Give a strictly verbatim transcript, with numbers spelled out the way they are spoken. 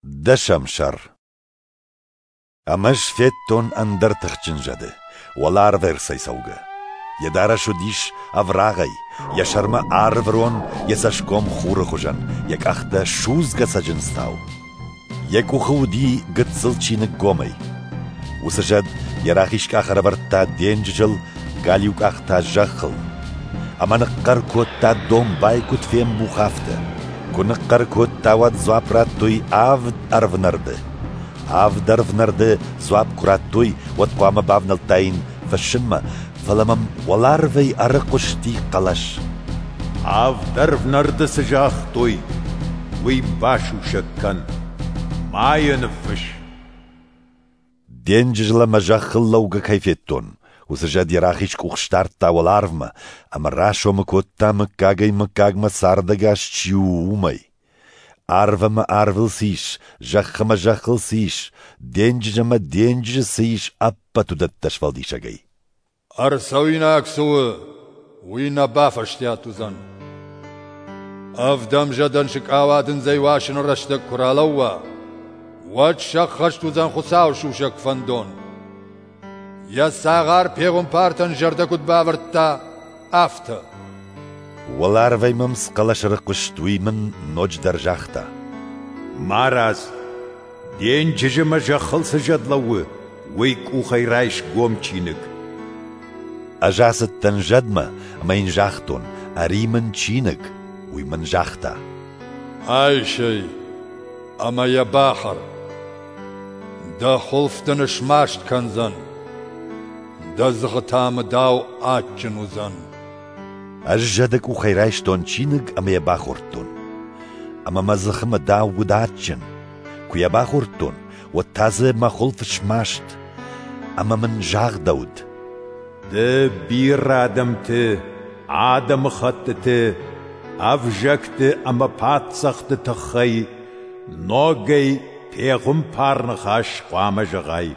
Дӕсӕм сӕр. Ӕмӕ ӕз федтон ӕндӕр тыхджын зӕды, уӕларвӕй ӕрцӕйцӕугӕ. Йӕ дарӕс уыдис ӕврагъӕй, йӕ сӕрмӕ арвырон, йӕ цӕсгом хуры хуызӕн, йӕ къӕхтӕ судзгӕ цӕджындзтау. Йӕ къухы уыди гыццыл чиныг гомӕй. Уыцы зӕд йӕ рахиз къах ӕрӕвӕрдта денджызыл, галиу къах та зӕххыл. Ӕмӕ ныхъхъӕр кодта, домбай куыд фембух, афтӕ. Куы ныхъхъӕр кодта, уӕд дзуапп радтой авд ӕрвнӕрды. Авд ӕрвнӕрды дзуапп куы радтой, уӕд хъуамӕ бавнӕлдтаин фыссынмӕ, фӕлӕ мӕм уӕларвӕй ӕрыхъуысти хъӕлӕс. Авд ӕрвнӕрды цы загътой, уый басусӕг кӕн, ма йӕ ныффысс. Денджызыл ӕмӕ зӕххыл лӕугӕ кӕй федтон, уыцы зӕд йӕ рахиз къух сдардта уӕларвмӕ ӕмӕ расомы кодта мыггагӕй-мыггагмӕ цардӕгас чи у, уымӕй. Арв ӕмӕ арвыл цы ис, зӕхх ӕмӕ зӕххыл цы ис, денджыз ӕмӕ денджызы цы ис, ӕппӕт уыдӕттӕ сфӕлдисӕгӕй. Ӕрцӕуинаг цы у, уый нӕ бафӕстиат уыдзӕн. Ӕвдӕм зӕдӕн сыкъауадындзӕй уасыны рӕстӕг куы ралӕууа, уӕд сӕххӕст уыдзӕн Хуыцауы сусӕг фӕндон. Йӕ цагъар пехуымпартӕн зӕрдӕ куыд бавӕрдта, афтӕ. Уӕларвӕй мӕм цы хъӕлӕс ӕрыхъуыст, уый мын ноджыдӕр загъта: Марадз, денджызы ӕмӕ зӕххыл цы зӕд лӕууы, уый къухӕй райс гом чиныг. Ӕз ацыдтӕн зӕдмӕ ӕмӕ йын загътон: ӕри мын чиныг. Уый мын загъта: Айс ӕй ӕмӕ йӕ бахӕр. Дӕ хуылф дын смаст кӕндзӕн, дӕ дзыхы та мыдау адджын уыдзӕн. Ӕз зӕды къухӕй райстон чиныг ӕмӕ йӕ бахордтон. Ӕмӕ мӕ дзыхы мыдау уыд адджын. Куы йӕ бахордтон, уӕд та дзы мӕ хуылф смаст. Ӕмӕ мын загъдӕуыд: Ды бирӕ адӕмты, адӕмыхӕттыты, ӕвзӕгты ӕмӕ паддзӕхты тыххӕй ногӕй пехуымпар ныхас хъуамӕ зӕгъай.